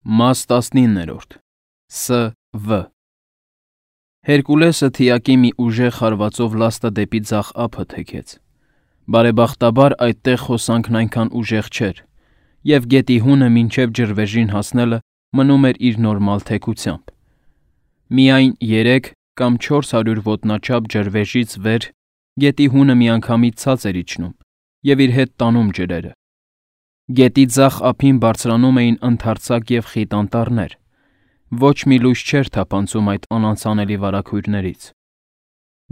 Մաս 19 Ս.Վ. Հերկուլեսը թիակի մի ուժեղ հարվածով լաստը դեպի ձախ ափը թեքեց։ Բարեբախտաբար այդտեղ հոսանքն այնքան ուժեղ չէր, և գետի հունը մինչև ջրվեժին հասնելը մնում էր իր նորմալ թեքությամբ։ Միայն 3 կամ 400 ոտնաչափ ջրվեժից վեր գետի հունը միանգամից ցած էր իջնում և իր հետ տանում ջրերը։ Գետի ձախ ափին բարձրանում էին ընդարձակ և խիտ անտառներ։ Ոչ մի լույս չէր թափանցում այդ անանցանելի վարագույրներից։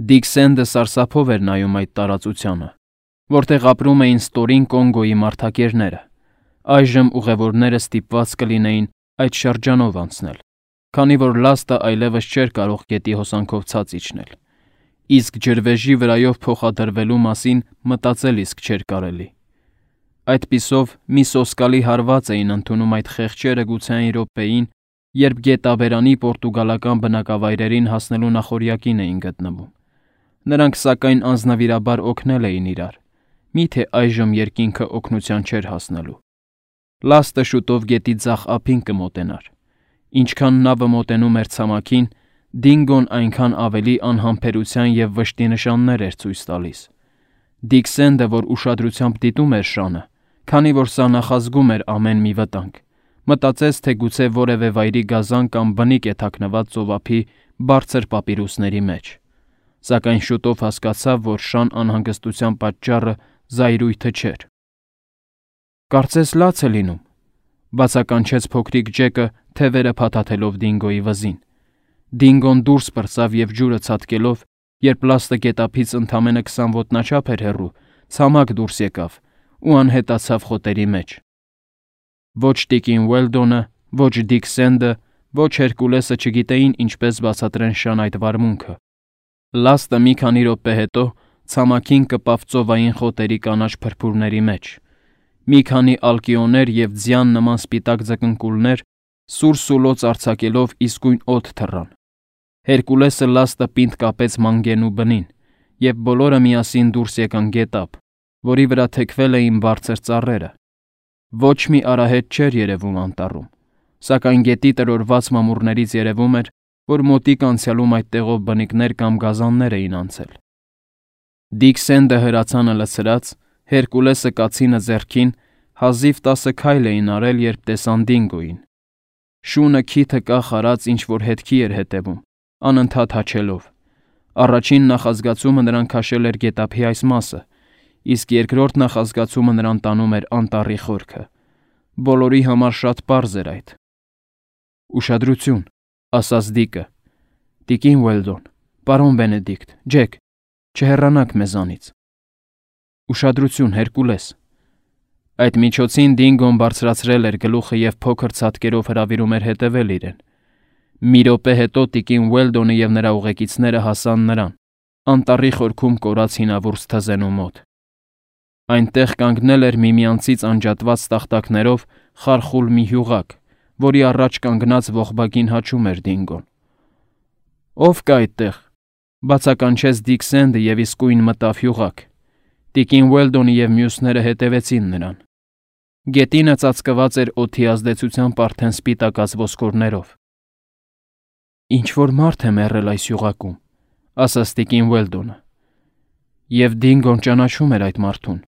Դիքսենդը սարսափով էր նայում այդ տարածությանը, որտեղ ապրում էին ստորին Կոնգոյի մարդակերները։ Այժմ ուղևորները ստիպված կլինեին այդ շրջանով անցնել, քանի որ լաստը այլևս չէր կարող գետի հոսանքով ցած իջնել, իսկ ջրվեժի վրայով փոխադրվելու մասին մտածել իսկ չէր կարելի։ Այդպիսով մի սոսկալի հարված էին ընդունում այդ խեղճերը գուցե այն րոպեին, երբ գետաբերանի պորտուգալական բնակավայրերին հասնելու նախօրյակին էին գտնվում։ Նրանք սակայն անձնվիրաբար օգնել էին իրար, միթե այժմ երկինքը օգնության չէր հասնելու։ Լաստը շուտով գետի ձախ ափին կմոտենար։ Ինչքան նավը մոտենում էր ցամաքին, Դինգոն այնքան ավելի անհամբերության և վշտի նշաններ էր ցույց տալիս։ Դիքսենդը, որ ուշադրությամբ դիտում էր շանը, քանի որ սա նախազգում էր ամեն մի վտանգ, մտածեց, թե գուցե որևէ վայրի գազան կամ բնիկ է թաքնված ծովափի բարձր պապիրուսների մեջ, սակայն շուտով հասկացավ, որ շան անհանգստության պատճառը զայրույթը չէր։ «Կարծես լաց է լինում», բացականչեց փոքրիկ Ջեկը, թևերը փաթաթելով Դինգոյի վզին։ Դինգոն դուրս պրծավ և ջուրը ցատկելով, երբ լաստը գետափից ընդամենը 20 ոտնաչափ էր հեռու, ցամաք դուրս եկավ ու անհետացավ խոտերի մեջ։ Ոչ տիկին Ուելդոնը, ոչ Դիքսենդը, ոչ Հերկուլեսը չգիտեին ինչպես բացատրեն շան այդ վարմունքը։ Լաստը մի քանի րոպե հետո ցամաքին կպավ ծովային խոտերի կանաչ փրփուրների մեջ։ Մի քանի ալկիոներ և ձյան նման սպիտակ ձկնկուլներ սուր սուլոց արձակելով իսկույն օդ թռան։ Հերկուլեսը լաստը պինդ կապեց մանգենու բնին, և բոլորը միասին դուրս եկան գետափ, որի վրա թեքվել էին բարձր ծառերը։ Ոչ մի արահետ չէր երևում անտառում, սակայն գետի տրորված մամուռներից երևում էր, որ մոտիկ անցյալում այդտեղով բնիկներ կամ գազաններ էին անցել։ Դիքսենդը հրացանը լցրած, Հերկուլեսը կացինը ձեռքին, հազիվ 10 քայլ էին արել, երբ տեսան Դինգոյին։ Շունը քիթը կախ արած ինչ-որ հետքի էր հետևում, անընդհատ հաչելով։ Առաջին նախազգացումը նրան քաշել էր գետափի այս մասը, իսկ երկրորդ նախազգացումը նրան տանում էր անտառի խորքը։ Բոլորի համար շատ պարզ էր այդ։ «Ուշադրություն», ասաց Դիկը։ «Տիկին Ուելդոն, պարոն Բենեդիկտ, Ջեք, չհեռանաք մեզանից»։ «Ուշադրություն, Հերկուլես»։ Այդ միջոցին Դինգոն բարձրացրել էր գլուխը և փոքր ցատկերով հրավիրում էր հետևել իրեն։ Մի րոպե հետո տիկին Ուելդոնը և նրա ուղեկիցները հասան նրան, անտառի խորքում կորած հինավուրց թզենու մոտ։ Այնտեղ կանգնել էր միմյանցից անջատված տախտակներով խարխուլ մի հյուղակ, որի առաջ կանգնած ողբագին հաչում էր Դինգոն։ «Ո՞վ կա այդտեղ», բացականչեց Դիքսենդը և իսկույն մտավ հյուղակ։ Տիկին Ուելդոնը և մյուսները հետևեցին նրան։ Գետինը ծածկված էր օդի ազդեցությամբ արդեն սպիտակած ոսկորներով։ «Ինչ-որ մարդ է մեռել այս հյուղակում», ասաց տիկին Ուելդոնը։ «Եվ Դինգոն ճանաչում էր այդ մարդուն»,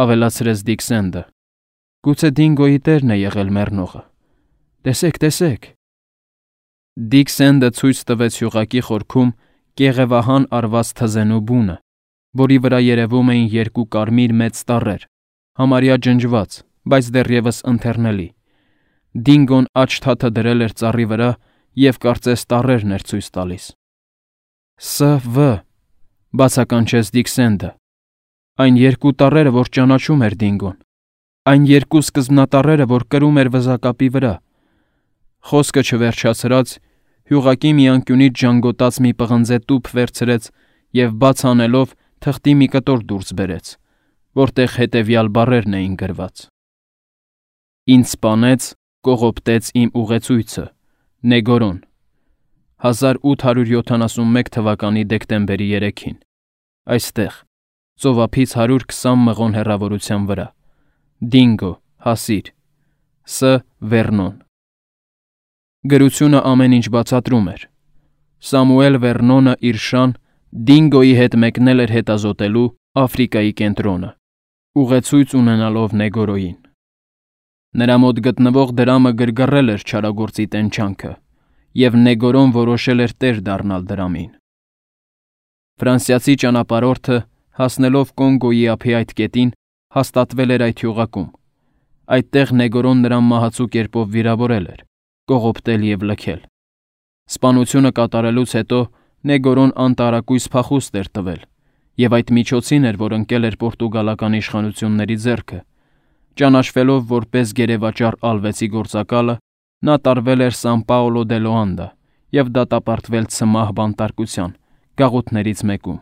ավելացրեց Դիքսենդը։ «Գուցե Դինգոյի տերն է եղել մեռնողը։ Տեսեք, տեսեք»։ Դիքսենդը ցույց տվեց հյուղակի խորքում կեղևահան արված թզենու բունը, որի վրա երևում էին 2 կարմիր մեծ տառեր, համարյա ջնջված, բայց դեռևս ընթեռնելի։ Դինգոն աջ թաթը դրել էր ծառի վրա և կարծես տառերն էր ցույց տալիս։ «Ս.Վ.», բացականչեց Դիքսենդը։ «Այն 2 տառերը, որ ճանաչում էր Դինգոն։ Այն 2 սկզբնատառերը, որ կրում էր վզակապի վրա»։ Խոսքը չվերջացրած, հյուղակի մի անկյունից ժանգոտած մի պղնձե տուփ վերցրեց և բաց անելով թղթի մի կտոր դուրս բերեց, որտեղ հետևյալ բառերն էին գրված. «Ինձ սպանեց, կողոպտեց իմ ուղեցույցը, Նեգորոն, 1871 թվականի դեկտեմբերի 3-ին, այստեղ, ծովափից 120 մղոն հեռավորության վրա, Դինգո, հասիր, Ս. Վերնոն»։ Գրությունը ամեն ինչ բացատրում էր։ Սամուել Վերնոնը իր շան Դինգոյի հետ մեկնել էր հետազոտելու Աֆրիկայի կենտրոնը, ուղեցույց ունենալով Նեգորոյին։ Նրա մոտ գտնվող դրամը գրգռել էր չարագործի տենչանքը, և Նեգորոն որոշել էր տեր դառնալ դրամին։ Ֆրանսիացի ճանապարհորդը, հասնելով Կոնգոյի ափի այդ կետին, հաստատվել էր այդ հյուղակում։ Այդտեղ Նեգորոն նրան մահացու կերպով վիրավորել էր, կողոպտել և լքել։ Սպանությունը կատարելուց հետո Նեգորոն անտարակույս փախուստ էր տվել, և այդ միջոցին էր, որ ընկել էր պորտուգալական իշխանությունների ձեռքը։ Ճանաչվելով որպես գերեվաճառ ալվեցի գործակալը, նա տարվել էր Սան Պաոլո դե Լոանդա և դատապարտվել ցմահ բանտարկության գաղութներից մեկում։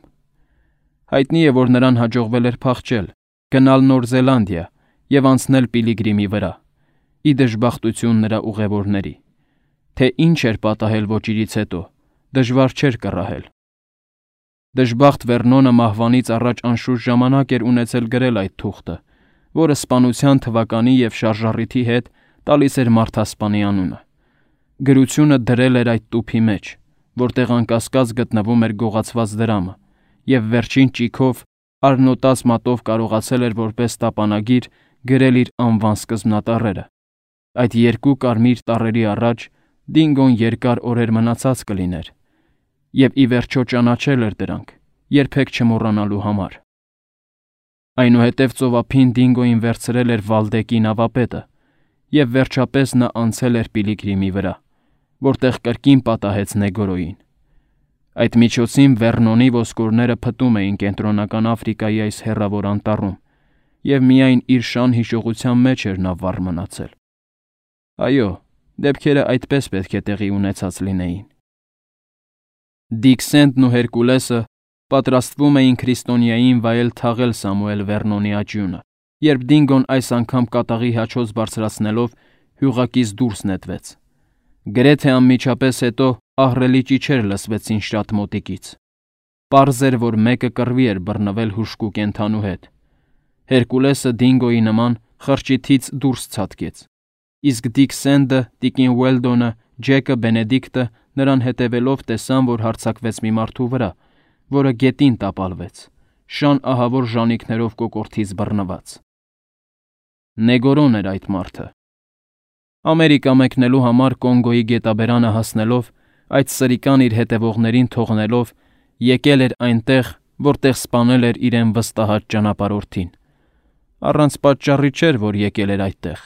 Հայտնի է, որ նրան հաջողվել էր փախչել, գնալ Նոր Զելանդիա և անցնել Պիլիգրիմի վրա, ի դժբախտություն նրա ուղևորների։ Թե ինչ էր պատահել ոճիրից հետո, դժվար չէր կռահել։ Դժբախտ Վերնոնը մահվանից առաջ անշուշտ ժամանակ էր ունեցել գրել այդ թուղթը, որը սպանության թվականի և շարժառիթի հետ տալիս էր մարդասպանի անունը։ Գրությունը դրել էր այդ տուփի մեջ, որտեղ անկասկած գտնվում էր գողացված դրամը, և վերջին ճիգով արնոտած մատով կարողացել էր որպես տապանագիր գրել իր անվան սկզբնատառերը։ Այդ երկու կարմիր տառերի առաջ Դինգոն երկար օրեր մնացած կլիներ, և ի վերջո ճանաչել էր դրանք, երբեք չմոռանալու համար։ Այնուհետև ծովափին Դինգոին վերցրել էր Վալդեկի նավապետը, և վերջապես նա անցել էր Պիլիգրիմի վրա, որտեղ կրկին պատահեց Նեգորոյին։ Այդ միջոցին Վերնոնի ոսկորները փտում էին Կենտրոնական Աֆրիկայի այս հեռավոր անտառում, և միայն իր շան հիշողության մեջ էր նա վառ մնացել։ Այո, դեպքերը այդպես պետք է տեղի ունեցած լինեին։ Դիկ Սենդն ու Հերկուլեսը պատրաստվում էին քրիստոնյային վայել թաղել Սամուել Վերնոնի աճյունը, երբ Դինգոն այս անգամ կատաղի հաչոց բարձրացնելով հյուղակից դուրս նետվեց։ Գրեթե անմիջապես հետո ահռելի ճիչեր լսվեցին շատ մոտիկից։ Պարզ էր, որ մեկը կռվի էր բռնվել հուժկու կենդանու հետ։ Հերկուլեսը Դինգոյի նման խրճիթից դուրս ցատկեց, իսկ Դիկ Սենդը, տիկին Ուելդոնը, Ջեկը, Բենեդիկտը նրան հետևելով տեսան, որ հարձակվեց մի մարդու վրա, որը գետին տապալվեց, շան ահավոր ժանիքներով կոկորդից բռնված։ Նեգորոն էր այդ մարդը։ Ամերիկա մեկնելու համար Կոնգոյի գետաբերանը հասնելով, այդ սրիկան իր հետևողներին թողնելով, եկել էր այնտեղ, որտեղ սպանել էր իրեն վստահած ճանապարհորդին։ Առանց պատճառի չէր, որ եկել էր այդտեղ։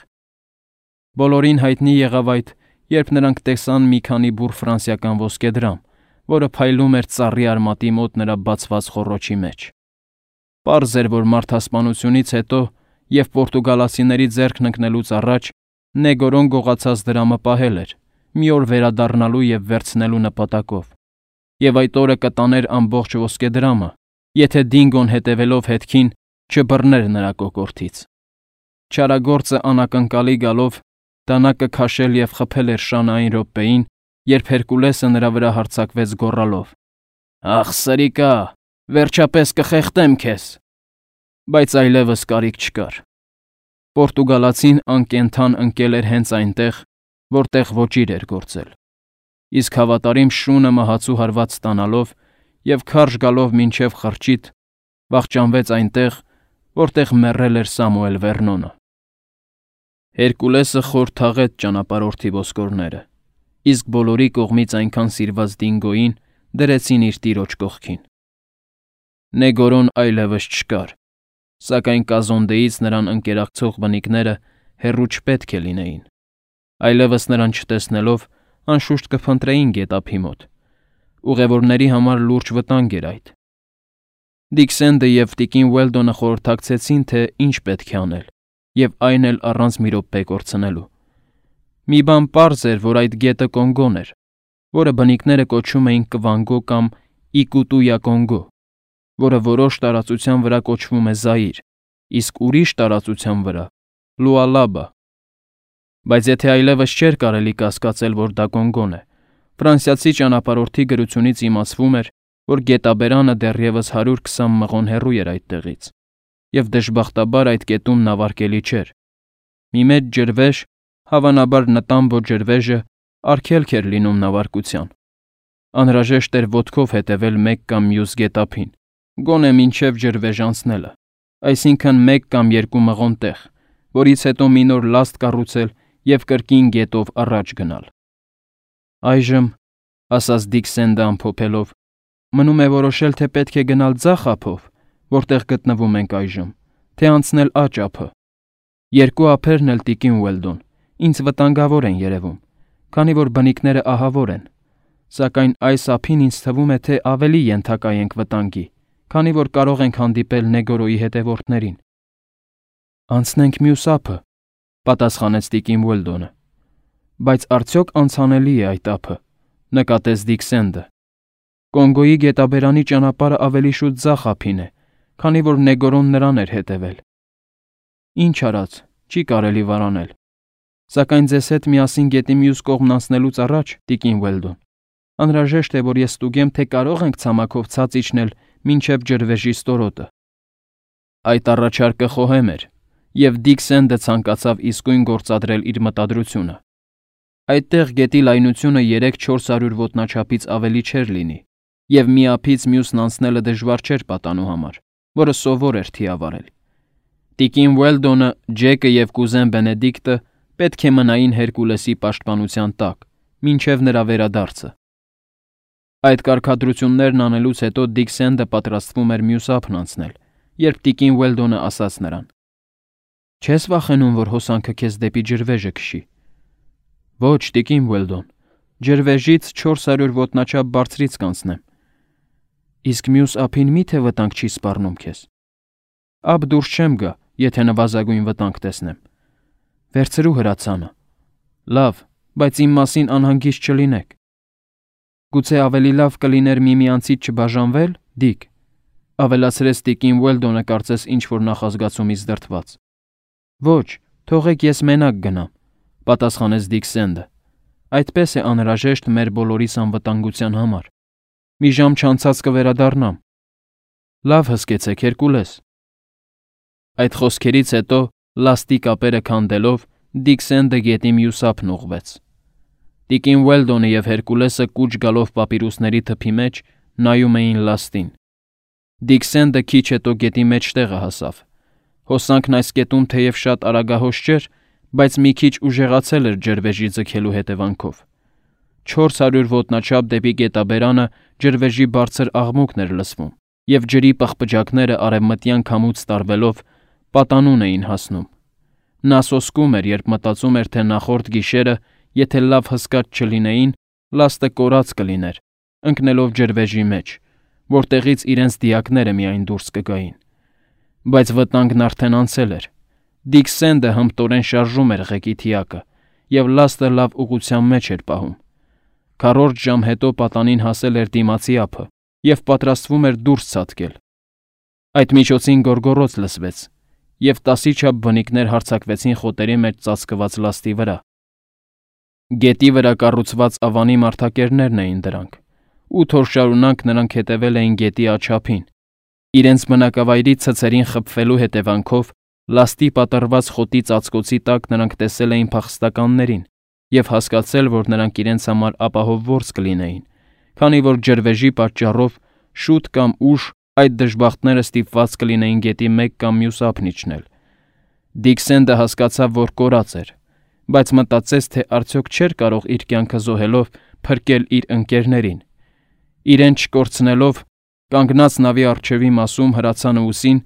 Բոլորին հայտնի եղավ այդ, երբ նրանք տեսան մի քանի բուռ ֆրանսիական ոսկեդրամ, որը փայլում էր ծառի արմատի մոտ նրա բացված խոռոչի մեջ։ Պարզ էր, որ մարդասպանությունից հետո և պորտուգալացիների ձեռքն ընկնելուց առաջ Նեգորոն գողացած դրամը պահել էր, մի օր վերադառնալու և վերցնելու նպատակով, և այդ օրը կտաներ ամբողջ ոսկեդրամը, եթե Դինգոն հետևելով հետքին չբռներ նրա կոկորդից։ Չարագործը անակնկալի գալով դանակը քաշել և խփել էր շանը այն րոպեին, երբ Հերկուլեսը նրա վրա հարձակվեց գոռալով. «Ախ, սրիկա, վերջապես կխեղդեմ քեզ»։ Բայց այլևս կարիք չկար։ Պորտուգալացին անկենդան ընկել էր հենց այնտեղ, որտեղ ոճիր էր գործել, իսկ հավատարիմ շունը մահացու հարված ստանալով և քարշ գալով մինչև խրճիթ, վախճանվեց այնտեղ, որտեղ մեռել էր Սամուել Վերնոնը։ Հերկուլեսը խոր թաղեց ճանապարհորդի ոսկորները, իսկ բոլորի կողմից այնքան սիրված Դինգոյին դրեցին իր տիրոջ կողքին։ Նեգորոն այլևս չկար, սակայն կազոնդեից նրան ընկերակցող բնիկները հեռու չպետք է լինեին։ Այլևս նրան չտեսնելով, անշուշտ կփնտրեին գետափի մոտ։ Ուղևորների համար լուրջ վտանգ էր այդ։ Դիկ Սենդը և տիկին Ուելդոնը խորհրդակցեցին, թե ինչ պետք է անել, և այն էլ առանց մի րոպե կորցնելու։ Մի բան պարզ էր, որ այդ գետը Կոնգոն էր, որը բնիկները կոչում էին Կվանգո կամ Իկուտույա Կոնգո, որը որոշ տարածության վրա կոչվում է Զաիր, իսկ ուրիշ տարածության վրա՝ Լուալաբա։ Բայց եթե այլևս չէր կարելի կասկածել, որ դա Կոնգոն է, ֆրանսիացի ճանապարհորդի գրությունից իմացվում էր, որ գետաբերանը դեռևս 120 մղոն հեռու էր այդտեղից, և դժբախտաբար այդ կետում նավարկելի չէր։ Մի մեծ ջրվեժ, հավանաբար Նտամբո ջրվեժը, արգելք էր լինում նավարկության։ Անհրաժեշտ էր ոտքով հետևել մեկ կամ մյուս գետափին, գոնե մինչև ջրվեժ անցնելը, այսինքն մեկ կամ երկու մղոն տեղ, որից հետո մի նոր լաստ կառուցել և կրկին գետով առաջ գնալ։ Այժմ, ասաց Դիքսենդը ամփոփելով, մնում է որոշել, թե պետք է գնալ ձախ ափով, որտեղ գտնվում ենք այժմ, թե անցնել աջ ափը։ Երկու ափերն էլ տիկին Ուելդոն ինձ վտանգավոր են երևում, քանի որ բնիկները ահավոր են, սակայն այս ափին ինձ թվում է, թե ավելի ենթակա ենք վտանգի, քանի որ կարող ենք հանդիպել Նեգորոյի հետևորդներին։ Անցնենք մյուս ափը, պատասխանեց տիկին Ուելդոնը։ Բայց արդյոք անցանելի է այդ ափը, նկատեց Դիքսենդը։ Կոնգոյի գետաբերանի ճանապարհը ավելի շուտ ձախ ափին է, քանի որ Նեգորոն նրան էր հետևել։ Ինչ արած, չի կարելի վարանել։ Սակայն ձեզ հետ միասին գետի մյուս կողմն անցնելուց առաջ, տիկին Ուելդոն, անհրաժեշտ է, որ ես ստուգեմ, թե կարող ենք ցամաքով ցած իջնել մինչև ջրվեժի ստորոտը։ Այդ առաջարկը խոհեմ էր, և Դիքսենդը ցանկացավ իսկույն գործադրել իր մտադրությունը։ Այդտեղ գետի լայնությունը 300-400 ոտնաչափից ավելի չէր լինի, և մի ափից մյուսն անցնելը դժվար չէր պատանու համար, որը սովոր էր թիավարել։ Տիկին Ուելդոնը, Ջեկը և կուզեն Բենեդիկտը պետք է մնային Հերկուլեսի պաշտպանության տակ, մինչև նրա վերադարձը։ Այդ կարգադրություններն անելուց հետո Դիքսենդը պատրաստվում էր մյուս ափն անցնել, երբ տիկին Ուելդոնը ասաց նրան. «Չես վախենում, որ հոսանքը քեզ դեպի ջրվեժը քշի»։ Ոչ, տիկին Ուելդոն, ջրվեժից 400 ոտնաչափ բարձրից կանցնեմ։ Իսկ մյուս ափին մի՞թե վտանգ չի սպառնում քեզ։ Ափ դուրս չեմ գա, եթե նվազագույն վտանգ տեսնեմ։ Վերցրու հրացանը։ Լավ, բայց իմ մասին անհանգիստ չլինեք։ Գուցե ավելի լավ կլիներ միմյանցից չբաժանվել, Դիք, ավելացրեց տիկին Ուելդոնը կարծես ինչ-որ նախազգացումից դրդված։ Ոչ, թողեք ես մենակ գնամ, պատասխանեց Դիքսենդը։ Այդպես է անհրաժեշտ մեր բոլորիս անվտանգության համար։ Մի ժամ չանցած կվերադառնամ։ Լավ հսկեցեք, Հերկուլես։ Այդ խոսքերից հետո, լաստի կապերը քանդելով, Դիքսենդը գետի մյուս ափն ուղղվեց։ Տիկին Ուելդոնը և Հերկուլեսը կուչ գալով պապիրուսների թփի մեջ նայում էին լաստին։ Դիքսենդը քիչ հետո գետի մեջտեղը հասավ։ Հոսանքն այս կետում թեև շատ արագահոս չէր, բայց մի քիչ ուժեղացել էր ջրվեժի ձգելու հետևանքով։ 400 ոտնաչափ դեպի գետաբերանը ջրվեժի բարձր աղմուկն էր լսվում, և ջրի պղպջակները արևմտյան քամուց տարվելով պատանուն էին հասնում։ Նա սոսկում էր, երբ մտածում էր, թե նախորդ գիշերը, եթե լավ հսկած չլինեին, լաստը կորած կլիներ, ընկնելով ջրվեժի մեջ, որտեղից իրենց դիակները միայն դուրս կգային։ Բայց վտանգն արդեն անցել էր։ Դիքսենդը հմտորեն շարժում էր ղեկի թիակը, և լաստը լավ ուղղության մեջ էր պահում։ Քառորդ ժամ հետո պատանին հասել էր դիմացի ափը և պատրաստվում էր դուրս ցատկել։ Այդ միջոցին գոռգոռոց լսվեց, և 10-ի չափ բնիկներ հարձակվեցին խոտերի մեջ ծածկված լաստի վրա։ Գետի վրա կառուցված ավանի մարդակերներն էին դրանք։ 8 օր շարունակ նրանք հետևել էին գետի աջ ափին։ Իրենց բնակավայրի ցցերին խփվելու հետևանքով լաստի պատռված խոտի ծածկոցի տակ նրանք տեսել էին փախստականներին և հասկացել, որ նրանք իրենց համար ապահով որս կլինեին, քանի որ ջրվեժի պատճառով շուտ կամ ուշ այդ դժբախտները ստիպված կլինեին գետի մեկ կամ մյուս ափն իջնել։ Դիքսենդը հասկացավ, որ կորած էր, բայց մտածեց, թե արդյոք չէր կարող իր կյանքը զոհելով փրկել իր ընկերներին։ Իրեն չկորցնելով, կանգնած նավի առջևի մասում հրացանը ուսին,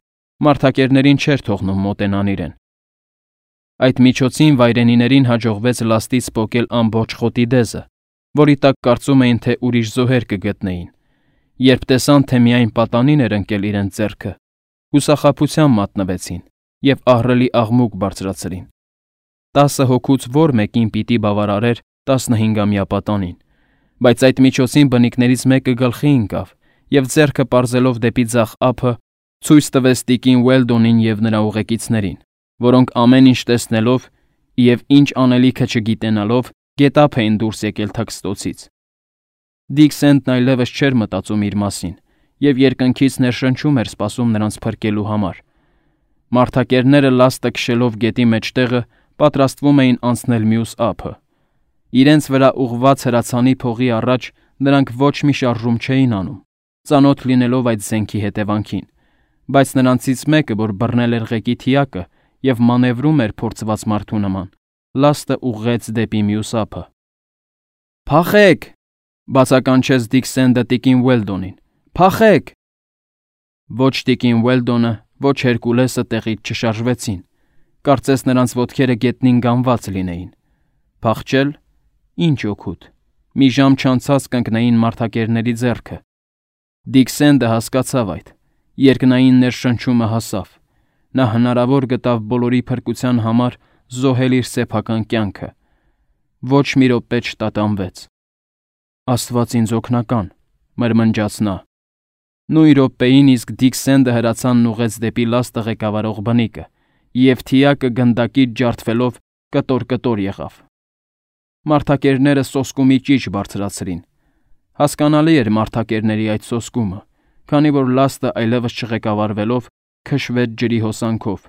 մարդակերներին չէր թողնում մոտենան իրեն։ Այդ միջոցին վայրենիներին հաջողվեց լաստից պոկել ամբողջ խոտի դեզը, որի տակ կարծում էին, թե ուրիշ զոհեր կգտնեին։ Երբ տեսան, թե միայն պատանին էր ընկել իրենց ձեռքը, հուսախաբության մատնվեցին և ահռելի աղմուկ բարձրացրին։ 10 հոգուց որ մեկին պիտի բավարարեր 15-ամյա պատանին, բայց այդ միջոցին բնիկներից մեկը գլխի ընկավ և ձեռքը պարզելով դեպի ձախ ափը ցույց տվեց տիկին Ուելդոնին և նրա ուղեկիցներին, որոնք ամեն ինչ տեսնելով և ինչ անելիքը չգիտենալով գետափ էին դուրս եկել թաքստոցից։ Դիքսենդն այլևս չէր մտածում իր մասին և երկնքից ներշնչում էր սպասում նրանց փրկելու համար։ Մարդակերները լաստը քշելով գետի մեջտեղը պատրաստվում էին անցնել մյուս ափը։ Իրենց վրա ուղղված հրացանի փողի առաջ նրանք ոչ մի շարժում չէին անում, ծանոթ լինելով այդ զենքի հետևանքին, բայց նրանցից մեկը, որ բռնել էր ղեկի թիակը և մանևրում էր փորձված մարդու նման, լաստը ուղղեց դեպի մյուս ափը։ «Փախեք!» բացականչեց Դիքսենդը տիկին Ուելդոնին։ «Փախեք!» Ոչ տիկին Ուելդոնը, ոչ Հերկուլեսը տեղից չշարժվեցին, կարծես նրանց ոտքերը գետնին գանված լինեին։ Փախչել։ Ինչ օգուտ։ Մի ժամ չանցած կընկնեին մարդակերների ձեռքը։ Դիքսենդը հասկացավ այդ։ Երկնային ներշնչումը հասավ։ Նա հնարավոր գտավ բոլորի փրկության համար զոհել իր սեփական կյանքը։ Ոչ մի րոպե չտատանվեց։ «Աստված ինձ օգնական», մրմնջաց նա։ Նույն րոպեին իսկ Դիքսենդը հրացանն ուղղեց դեպի լաստը ղեկավարող բնիկը, և թիակը գնդակից ջարդվելով կտոր-կտոր եղավ։ Մարդակերները սոսկումի ճիչ բարձրացրին։ Հասկանալի էր մարդակերների այդ սոսկումը, քանի որ լաստը այլևս չղեկավարվելով քշվեց ջրի հոսանքով,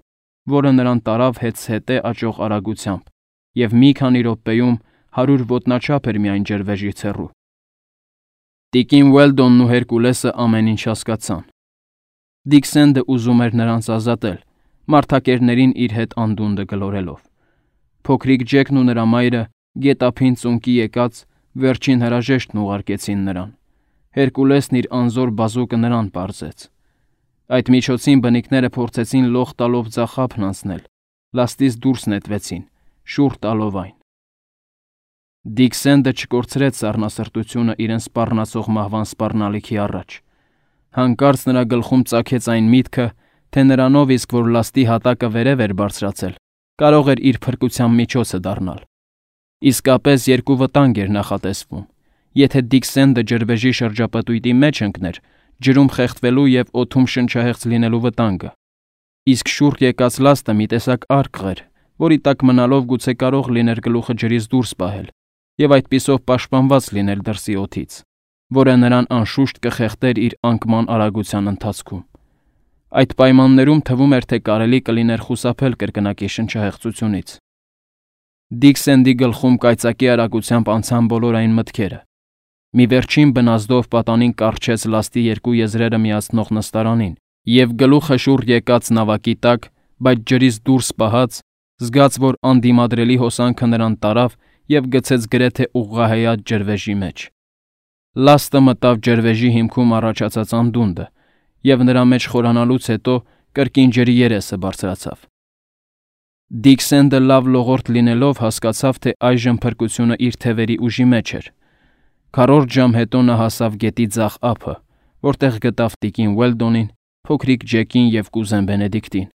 որը նրան տարավ հետզհետե աճող արագությամբ, և մի քանի րոպեում 100 ոտնաչափ էր միայն ջրվեժից հեռու։ Տիկին Ուելդոնն ու Հերկուլեսը ամեն ինչ հասկացան։ Դիքսենդը ուզում էր նրանց ազատել, մարդակերներին իր հետ անդունդը գլորելով։ Փոքրիկ Ջեկն ու նրա մայրը գետափին ծունկի եկած վերջին հրաժեշտն ուղարկեցին նրան։ Հերկուլեսն իր անզոր բազուկը նրան պարզեց։ Այդ միջոցին բնիկները փորձեցին լող տալով ձախ ափն անցնել, լաստից դուրս նետվեցին, շուռ տալով այն։ Դիքսենդը չկորցրեց սառնասրտությունը իրեն սպառնացող մահվան սպառնալիքի առաջ։ Հանկարծ նրա գլխում ծագեց այն միտքը, թե նրանով իսկ որ լաստի հատակը վերև էր բարձրացել, կարող էր իր փրկության միջոցը դառնալ։ Իսկապես երկու վտանգ էր նախատեսվում։ Եթե Դիքսենդը ջրվեժի շրջապտույտի մեջ ընկներ, ջրում խեղդվելու և օդում շնչահեղձ լինելու վտանգը, իսկ շուռ եկած լաստը մի տեսակ արկղ էր, որի տակ մնալով գուցե կարող լիներ գլուխը ջրից դուրս պահել և այդպիսով պաշտպանված լինել դրսի օդից, որը նրան անշուշտ կխեղդեր իր անկման արագության ընթացքում։ Այդ պայմաններում թվում էր, թե կարելի կլիներ խուսափել կրկնակի շնչահեղձությունից։ Դիքսենդի գլխում կայծակի արագությամբ անցան բոլոր այն մտքերը։ Մի վերջին բնազդով պատանին կառչեց լաստի երկու եզրերը միացնող նստարանին, և գլուխը շուռ եկած նավակի տակ, բայց ջրից դուրս պահած, զգաց, որ անդիմադրելի հոսանքը նրան տարավ և գցեց գրեթե ուղղահայաց ջրվեժի մեջ։ Լաստը մտավ ջրվեժի հիմքում առաջացած անդունդը, և նրա մեջ խորանալուց հետո կրկին ջրի երեսը բարձրացավ։ Դիքսենդը լավ լողորդ լինելով հասկացավ, թե այժմ փրկությունը իր թևերի ուժի մեջ էր։ Քառորդ ժամ հետո նա հասավ գետի ձախ ափը, որտեղ գտավ տիկին Ուելդոնին, փոքրիկ Ջեկին և կուզեն Բենեդիկտին,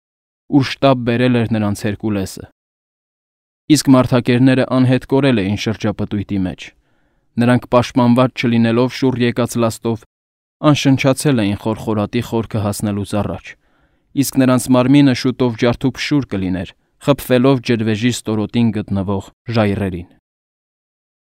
ուր շտապ բերել էր նրանց Հերկուլեսը։ Իսկ մարդակերները անհետ կորել էին շրջապտույտի մեջ։ Նրանք պաշտպանված չլինելով շուռ եկած լաստով, անշնչացել էին խորխորատի խորքը հասնելուց առաջ, իսկ նրանց մարմինը շուտով ջարդուփշուր կլիներ, խփվելով ջրվեժի ստորոտին գտնվող ժայռերին։